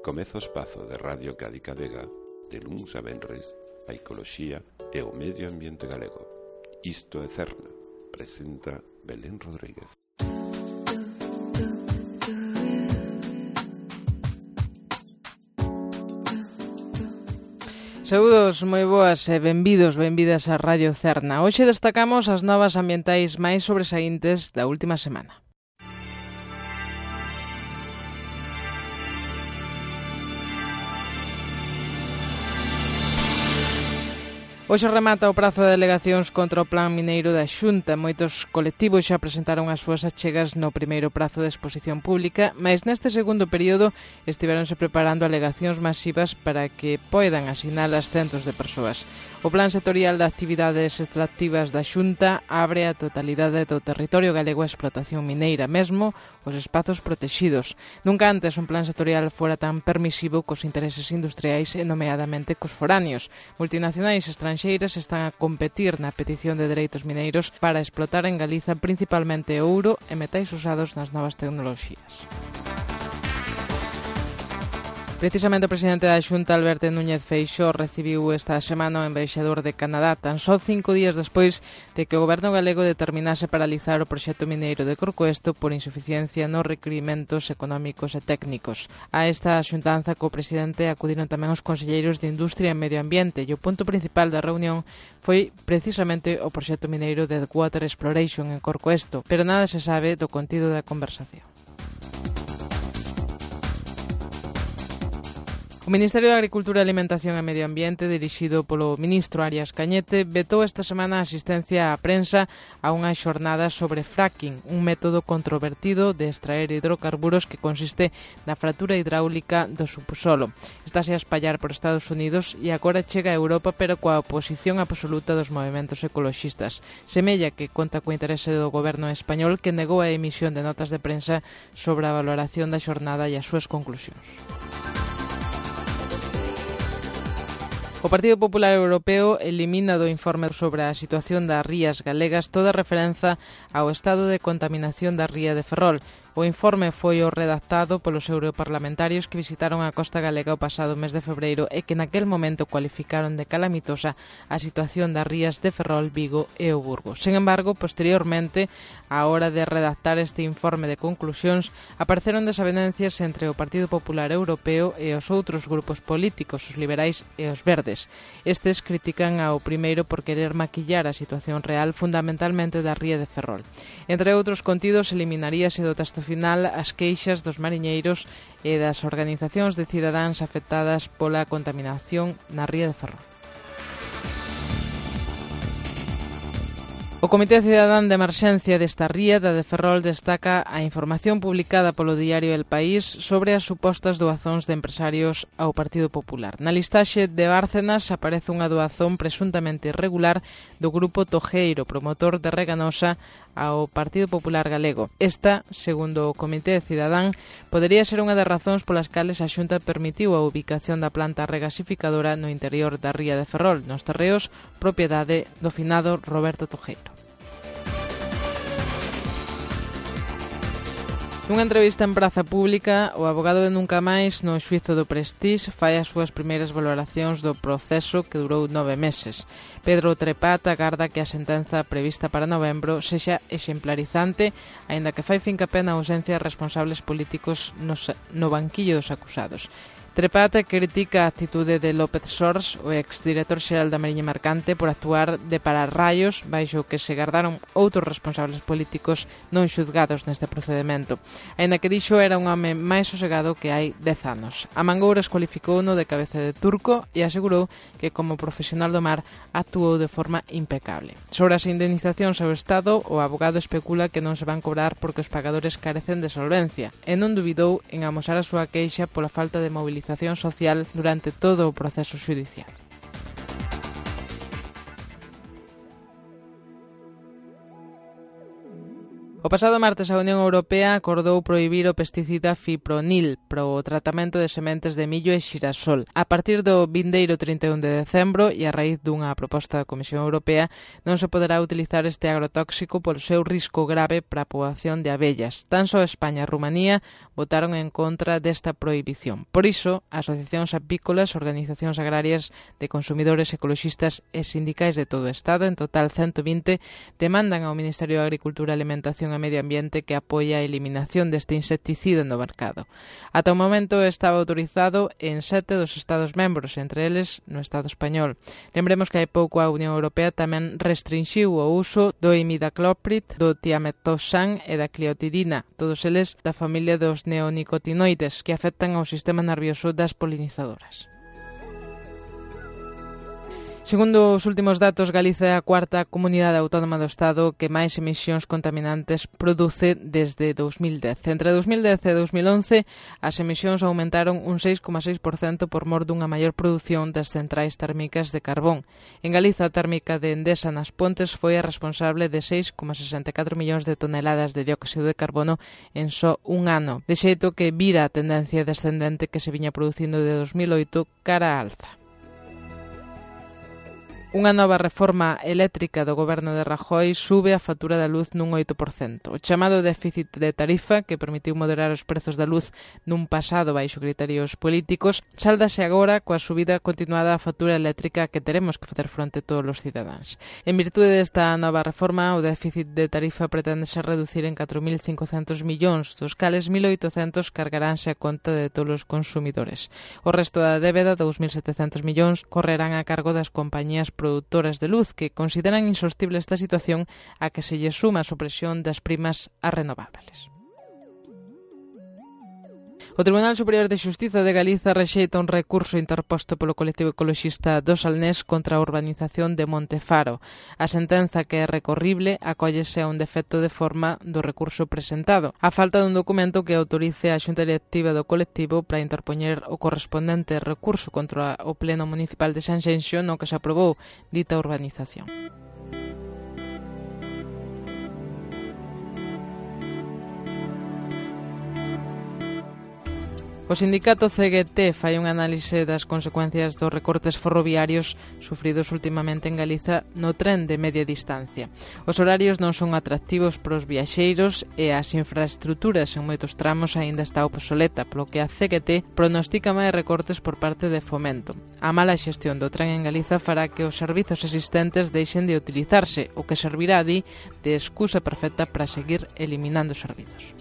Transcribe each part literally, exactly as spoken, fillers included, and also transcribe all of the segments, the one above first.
Comeza o espazo de Radio Cádiz Vega de luns a venres a ecoloxía e o medio ambiente galego. Isto é Cerna, presenta Belén Rodríguez. Saúdos, moi boas e benvidos, benvidas a Radio Cerna. Hoxe destacamos as novas ambientais máis sobresaíntes da última semana. Hoxe remata o prazo de alegacións contra o plan mineiro da Xunta. Moitos colectivos xa presentaron as súas achegas no primeiro prazo de exposición pública, mas neste segundo período estiveronse preparando alegacións masivas para que poidan asinalas centos de persoas. O Plan Sectorial de Actividades Extractivas da Xunta abre a totalidade do territorio galego a explotación mineira, mesmo os espazos protexidos. Nunca antes un plan sectorial fora tan permisivo cos intereses industriais e nomeadamente cos foráneos. Multinacionais estranxeiras están a competir na petición de dereitos mineiros para explotar en Galiza principalmente ouro e metais usados nas novas tecnoloxías. Precisamente o presidente da Xunta, Alberto Núñez Feixóo, recibiu esta semana o embaixador de Canadá, tan só cinco días despois de que o goberno galego determinase paralizar o proxecto mineiro de Corcoesto por insuficiencia nos requirimentos económicos e técnicos. A esta xuntanza co presidente acudiron tamén os conselleiros de Industria e Medio Ambiente e o punto principal da reunión foi precisamente o proxecto mineiro de Deepwater Exploration en Corcoesto, pero nada se sabe do contido da conversación. O Ministerio de Agricultura, Alimentación e Medio Ambiente, dirixido polo ministro Arias Cañete, vetou esta semana a asistencia á prensa a unha xornada sobre fracking, un método controvertido de extraer hidrocarburos que consiste na fractura hidráulica do subsolo. Estáse a espallar por Estados Unidos e agora chega a Europa, pero coa oposición absoluta dos movementos ecoloxistas. Semella que conta co interese do goberno español, que negou a emisión de notas de prensa sobre a valoración da xornada e as súas conclusións. O Partido Popular Europeo elimina do informe sobre a situación das rías galegas toda referenza ao estado de contaminación da ría de Ferrol. O informe foi o redactado polos europarlamentarios que visitaron a costa galega o pasado mes de febreiro e que naquel momento cualificaron de calamitosa a situación das rías de Ferrol, Vigo e o Burgo. Sen embargo, posteriormente, á hora de redactar este informe de conclusións, apareceron desavenencias entre o Partido Popular Europeo e os outros grupos políticos, os liberais e os verdes. Estes critican ao primeiro por querer maquillar a situación real fundamentalmente da ría de Ferrol. Entre outros contidos, eliminaríase do texto final as queixas dos mariñeiros e das organizacións de cidadáns afectadas pola contaminación na ría de Ferrol. O Comité Cidadán de Emerxencia desta ría da de Ferrol destaca a información publicada polo diario El País sobre as supostas doazóns de empresarios ao Partido Popular. Na listaxe de Bárcenas aparece unha doazón presuntamente irregular do Grupo Tojeiro, promotor de Reganosa, ao Partido Popular Galego. Esta, segundo o Comité Cidadán, podería ser unha das razóns polas cales a Xunta permitiu a ubicación da planta regasificadora no interior da ría de Ferrol, nos terreos propiedade do finado Roberto Tojeiro. Nunha entrevista en praza pública, o avogado de Nunca Máis no xuízo do Prestige fai as súas primeiras valoracións do proceso que durou nove meses. Pedro Trepat agarda que a sentenza prevista para novembro sexa exemplarizante, aínda que fai fincapé na ausencia de responsables políticos nos, no banquillo dos acusados. Trepat critica a actitude de López Sors, o exdirector xeral da Mariña Mercante, por actuar de pararraios baixo que se gardaron outros responsables políticos non xuzgados neste procedimento. Aínda que dixo era un home máis sosegado que hai dez anos. A Mangouras cualificouno de cabeza de turco e asegurou que como profesional do mar actuou de forma impecable. Sobre as indemnizacións ao Estado, o abogado especula que non se van cobrar porque os pagadores carecen de solvencia e non dubidou en amosar a súa queixa pola falta de movilización social durante todo o proceso xudicial. O pasado martes a Unión Europea acordou prohibir o pesticida fipronil para o tratamento de sementes de millo e xirasol. A partir do vindeiro trinta e un de decembro e a raíz dunha proposta da Comisión Europea non se poderá utilizar este agrotóxico polo seu risco grave para a poboación de abellas. Tan só España e Rumanía votaron en contra desta prohibición. Por iso, asociacións apícolas, organizacións agrarias de consumidores, ecoloxistas e sindicais de todo o Estado, en total ciento vinte, demandan ao Ministerio de Agricultura e Alimentación e Medio Ambiente que apoia a eliminación deste insecticida no mercado. Ata o momento estaba autorizado en sete dos Estados membros, entre eles no Estado español. Lembremos que hai pouco a Unión Europea tamén restrinxiu o uso do imidacloprid, do tiametoxan e da cliotidina, todos eles da familia dos neonicotinoides que afectan ao sistema nervioso das polinizadoras. Segundo os últimos datos, Galiza é a cuarta comunidade autónoma do Estado que máis emisións contaminantes produce desde dous mil dez. Entre dous mil dez e dous mil once, as emisións aumentaron un seis coma seis por cento por mor dunha maior produción das centrais térmicas de carbón. En Galiza, a térmica de Endesa nas Pontes foi a responsable de seis coma sesenta e catro millóns de toneladas de dióxido de carbono en só un ano, de xeito que vira a tendencia descendente que se viña producindo de dous mil oito cara á alza. Unha nova reforma eléctrica do goberno de Rajoy sube a factura da luz nun oito por cento. O chamado déficit de tarifa, que permitiu moderar os prezos da luz nun pasado baixo criterios políticos, sáldase agora coa subida continuada da factura eléctrica que teremos que facer fronte todos os cidadáns. En virtude desta nova reforma, o déficit de tarifa pretendese reducir en catro mil cincocentos millóns, dos cales mil oitocentos cargaránse a conta de todos os consumidores. O resto da débeda, dous mil setecentos millóns, correrán a cargo das compañías produtoras de luz que consideran insostible esta situación a que se lle suma a supresión das primas a renovables. O Tribunal Superior de Xustiza de Galiza rexeita un recurso interposto polo colectivo ecoloxista do Salnés contra a urbanización de Montefaro. A sentenza, que é recorrible, acóllese a un defecto de forma do recurso presentado, a falta dun documento que autorice a Xunta Directiva do colectivo para interpoñer o correspondente recurso contra o Pleno Municipal de Sanxenxo no que se aprobou dita urbanización. O sindicato C G T fai un análise das consecuencias dos recortes ferroviarios sufridos ultimamente en Galiza no tren de media distancia. Os horarios non son atractivos para os viaxeiros e as infraestruturas en moitos tramos aínda está obsoleta, polo que a C G T pronostica máis recortes por parte de Fomento. A mala xestión do tren en Galiza fará que os servizos existentes deixen de utilizarse, o que servirá, di, de excusa perfecta para seguir eliminando servizos.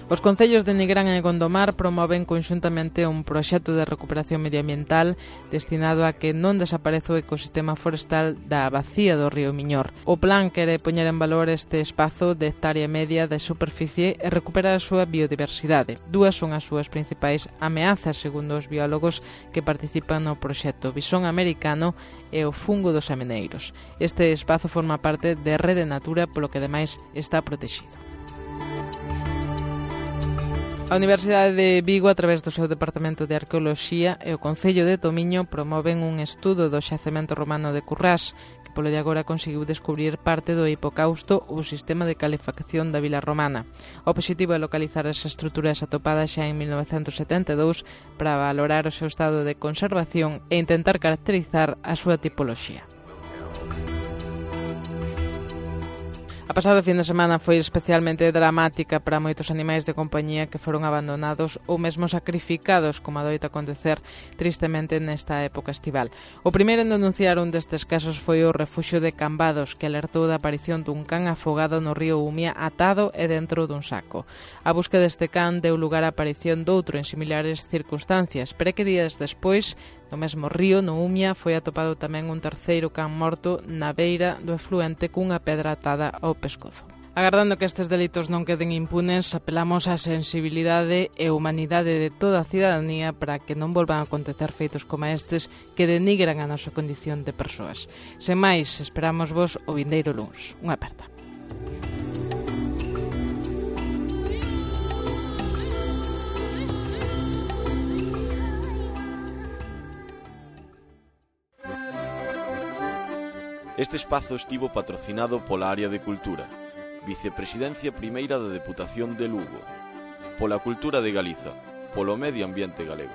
Os concellos de Nigrán e Gondomar promoven conxuntamente un proxecto de recuperación medioambiental destinado a que non desapareza o ecosistema forestal da bacía do río Miñor. O plan quere poñer en valor este espazo de hectárea media de superficie e recuperar a súa biodiversidade. Dúas son as súas principais ameazas, segundo os biólogos que participan no proxecto: visón americano e o fungo dos ameneiros. Este espazo forma parte de Rede Natura, polo que ademais está protegido. A Universidade de Vigo, a través do seu Departamento de Arqueoloxía e o Concello de Tomiño, promoven un estudo do xacemento romano de Currás, que polo de agora conseguiu descubrir parte do hipocausto ou sistema de calefacción da vila romana. O obxectivo é localizar as estruturas atopadas xa en mil novecentos setenta e dous para valorar o seu estado de conservación e intentar caracterizar a súa tipoloxía. A pasada fin de semana foi especialmente dramática para moitos animais de compañía que foron abandonados ou mesmo sacrificados, como adoita acontecer tristemente nesta época estival. O primeiro en denunciar un destes casos foi o Refuxio de Cambados, que alertou da aparición dun can afogado no río Umia atado e dentro dun saco. A busca deste can deu lugar á aparición doutro en similares circunstancias, pero que días despois, no mesmo río, no Umia, foi atopado tamén un terceiro can morto na beira do efluente cunha pedra atada ao pescozo. Agardando que estes delitos non queden impunes, apelamos á sensibilidade e humanidade de toda a cidadanía para que non volvan a acontecer feitos como estes que denigran a nosa condición de persoas. Sen máis, esperamos vos o vindeiro luns. Unha aperta. Este espazo estivo patrocinado pola área de Cultura, Vicepresidencia Primeira da Deputación de Lugo, pola Cultura de Galiza, polo Medio Ambiente Galego.